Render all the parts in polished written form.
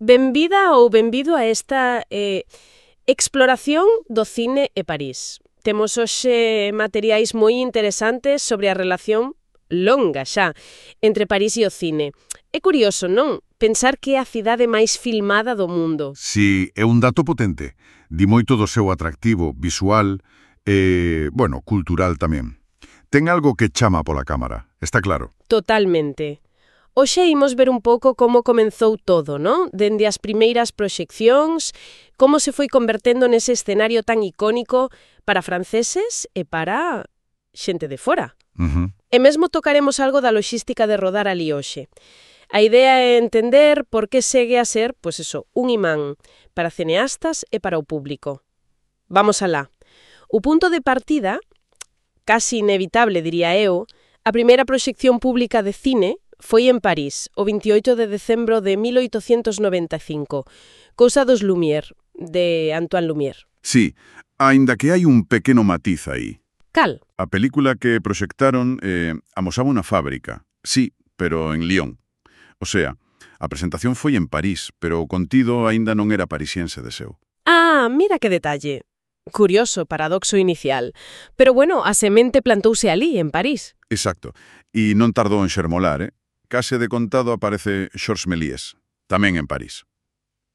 Benvida ou benvido a esta exploración do cine e París. Temos hoxe materiais moi interesantes sobre a relación longa xa entre París e o cine. É curioso, non? Pensar que é a cidade máis filmada do mundo. Si, é un dato potente. Di moito do seu atractivo visual e, cultural tamén. Ten algo que chama pola cámara, está claro. Totalmente. Hoxe imos ver un pouco como comenzou todo, non? Dende as primeiras proxeccións, como se foi convertendo nese escenario tan icónico para franceses e para xente de fora. E mesmo tocaremos algo da loxística de rodar ali hoxe. A idea é entender por que segue a ser, un imán para cineastas e para o público. Vamos alá. O punto de partida, casi inevitable, diría eu, a primeira proxección pública de cine foi en París, o 28 de decembro de 1895, cousa dos Lumière, de Antoine Lumière. Sí, aínda que hai un pequeno matiz aí. Cal? A película que proxectaron amosaba unha fábrica, sí, pero en Lyon. O sea, a presentación foi en París, pero o contido aínda non era parisiense de seu. Ah, mira que detalle. Curioso, paradoxo inicial. Pero a semente plantouse ali, en París. Exacto. E non tardou en xermolar, Case de contado aparece Georges Méliès, tamén en París.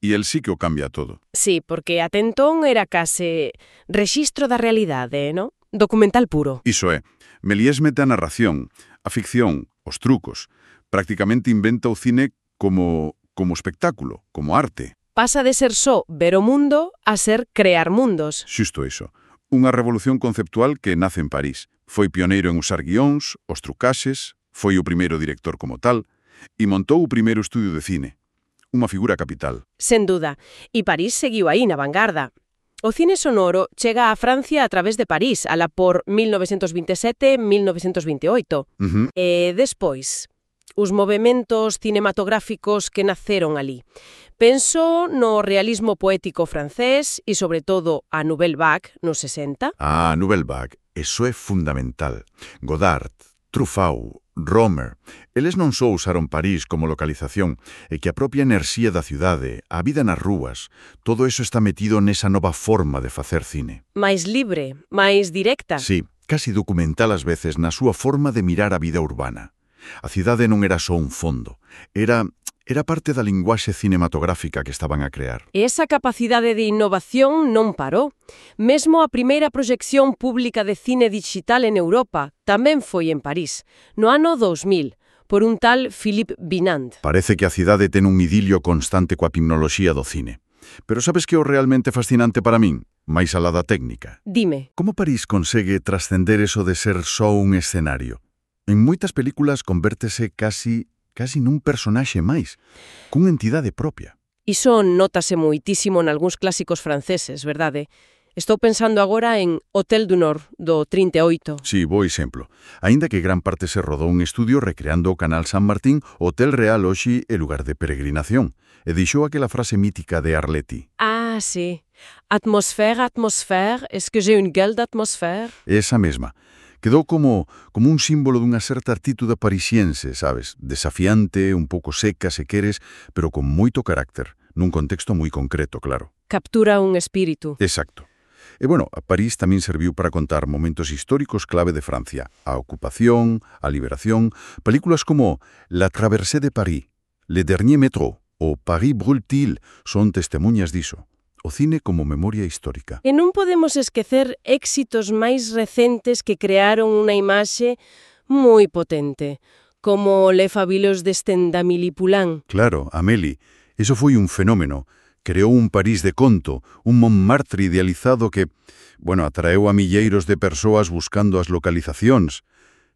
E el sí que o cambia todo. Sí, porque ate entón era case rexistro da realidade, non? Documental puro. Iso é. Méliès mete a narración, a ficción, os trucos. Prácticamente inventa o cine como espectáculo, como arte. Pasa de ser só ver o mundo a ser crear mundos. Xusto iso. Unha revolución conceptual que nace en París. Foi pioneiro en usar guións, os trucaxes, foi o primeiro director como tal, e montou o primeiro estudio de cine. Unha figura capital. Sen duda. E París seguiu aí na vanguarda. O cine sonoro chega a Francia a través de París, ala por 1927-1928. E despois, os movementos cinematográficos que naceron ali. Penso no realismo poético francés e, sobre todo, a Nouvelle Vague, nos 60. Ah, Nouvelle Vague. Eso é fundamental. Godard, Truffaut, Romer, eles non só usaron París como localización, e que a propia enerxía da cidade, a vida nas rúas, todo eso está metido nesa nova forma de facer cine. Máis libre, máis directa. Sí, casi documental ás veces na súa forma de mirar a vida urbana. A cidade non era só un fondo, era parte da linguaxe cinematográfica que estaban a crear. E esa capacidade de innovación non parou. Mesmo a primeira proxección pública de cine digital en Europa tamén foi en París, no ano 2000, por un tal Philippe Binand. Parece que a cidade ten un idilio constante coa tecnoloxía do cine. Pero sabes que é o realmente fascinante para min? Máis alá da técnica. Dime. Como París consegue trascender eso de ser só un escenario? En moitas películas convértese casi nun personaxe máis, cunha entidade propia. Iso nótase moitísimo nalgúns clásicos franceses, verdade? Estou pensando agora en Hotel du Nord, do 38. Sí, bo exemplo. Aínda que gran parte se rodou un estudio recreando o Canal San Martín, Hotel Real hoxe é lugar de peregrinación. E deixou aquela frase mítica de Arletty. Ah, sí. Atmosfère, est-ce que j'ai une gueule d'atmosfère? Esa mesma. Quedou como un símbolo dunha certa actitude parisiense, sabes? Desafiante, un pouco seca, se queres, pero con moito carácter, nun contexto moi concreto, claro. Captura un espírito. Exacto. E a París tamén serviu para contar momentos históricos clave de Francia. A ocupación, a liberación, películas como La Traversée de Paris, Le Dernier Métro ou Paris Brûle-t-il son testemunhas diso. O cine como memoria histórica. E non podemos esquecer éxitos máis recentes que crearon unha imaxe moi potente, como Le Fabuleux Destin d'Amélie Poulain. Claro, Amélie. Eso foi un fenómeno. Creou un París de conto, un Montmartre idealizado que, atraeu a milleiros de persoas buscando as localizacións.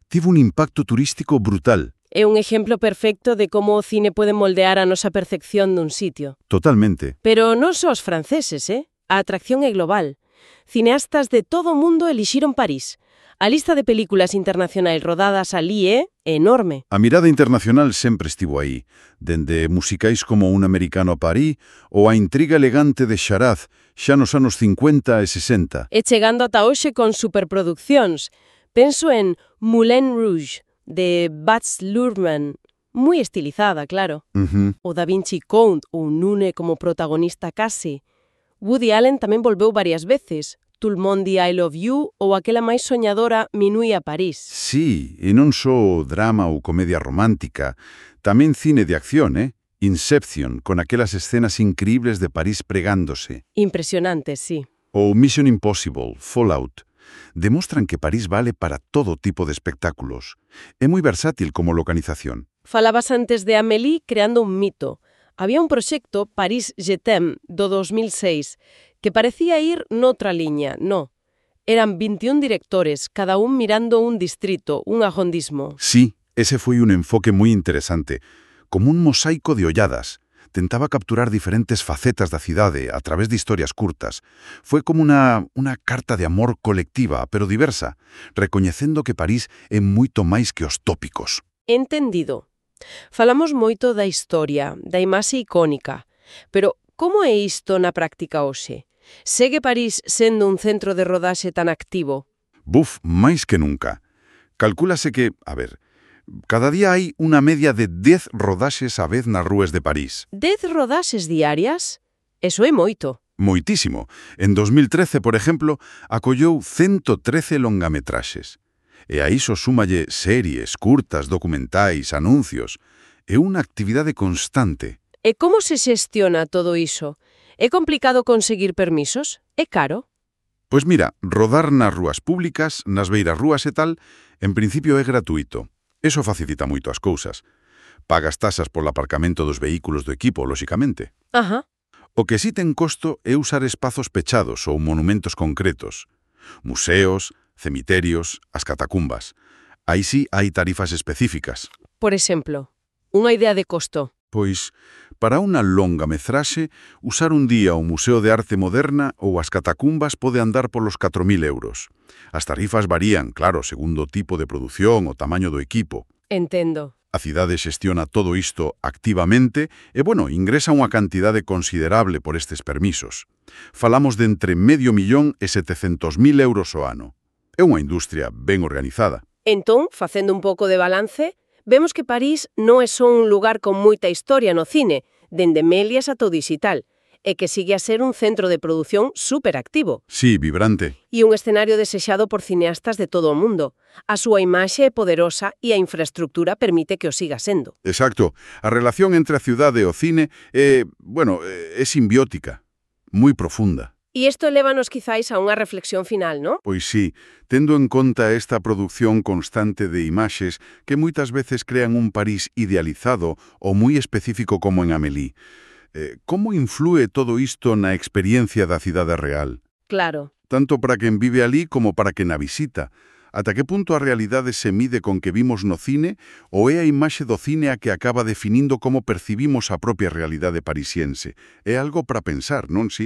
Tivo un impacto turístico brutal. É un exemplo perfecto de como o cine pode moldear a nosa percepción dun sitio. Totalmente. Pero non só os franceses, A atracción é global. Cineastas de todo o mundo elixiron París. A lista de películas internacionais rodadas ali é enorme. A mirada internacional sempre estivo aí, dende musicais como Un americano a París ou a intriga elegante de Charaz, xa nos anos 50 e 60. E chegando ata hoxe con superproduccións. Penso en Moulin Rouge, de Baz Luhrmann, Moi estilizada, claro. O Da Vinci Code ou Nune como protagonista case. Woody Allen tamén volveu varias veces. Tout le monde dit I love you ou aquela máis soñadora Minuit a París. Sí, e non só drama ou comedia romántica, tamén cine de acción, Inception, con aquelas escenas increíbles de París pregándose. Impresionante, sí. Ou Mission Impossible, Fallout. Demostran que París vale para todo tipo de espectáculos. É moi versátil como localización. Falabas antes de Amélie creando un mito. Había un proxecto, París Je t'aime, do 2006, que parecía ir noutra liña, no. Eran 21 directores, cada un mirando un distrito, un arrondismo. Sí, ese foi un enfoque moi interesante. Como un mosaico de olladas. Tentaba capturar diferentes facetas da cidade a través de historias curtas. Foi como unha carta de amor colectiva, pero diversa, recoñecendo que París é moito máis que os tópicos. Entendido. Falamos moito da historia, da imaxe icónica, pero como é isto na práctica hoxe? Segue París sendo un centro de rodaxe tan activo? Buf, máis que nunca. Calcúlase que, cada día hai unha media de 10 rodaxes á vez nas rúas de París. 10 rodaxes diarias? Eso é moito. Moitísimo. En 2013, por exemplo, acollou 113 longametraxes. E a iso súmalle series, curtas, documentais, anuncios. É unha actividade constante. E como se xestiona todo iso? É complicado conseguir permisos? É caro? Pois mira, rodar nas rúas públicas, nas beiras rúas e tal, en principio é gratuito. Eso facilita moito as cousas. Pagas tasas polo aparcamento dos vehículos do equipo, lóxicamente. Ajá. O que sí ten costo é usar espazos pechados ou monumentos concretos. Museos, cemiterios, as catacumbas. Aí sí hai tarifas específicas. Por exemplo, unha idea de costo. Pois, para unha longa metraxe, usar un día o Museo de Arte Moderna ou as catacumbas pode andar polos 4.000 euros. As tarifas varían, claro, segundo o tipo de produción o tamaño do equipo. Entendo. A cidade xestiona todo isto activamente e, ingresa unha cantidade considerable por estes permisos. Falamos de entre $500.000 e 700.000 euros ao ano. É unha industria ben organizada. Entón, facendo un pouco de balance, vemos que París non é só un lugar con moita historia no cine, dende Melies ata o digital, e que sigue a ser un centro de produción superactivo. Sí, vibrante. E un escenario desexado por cineastas de todo o mundo. A súa imaxe é poderosa e a infraestructura permite que o siga sendo. Exacto. A relación entre a ciudade e o cine é simbiótica, moi profunda. E isto lévanos quizáis a unha reflexión final, non? Pois sí, tendo en conta esta produción constante de imaxes que moitas veces crean un París idealizado ou moi específico como en Amélie. Como inflúe todo isto na experiencia da cidade real? Claro. Tanto para quen vive alí como para quen a visita. Ata que punto a realidade se mide con que vimos no cine ou é a imaxe do cine a que acaba definindo como percibimos a propia realidade parisiense? É algo para pensar, non si?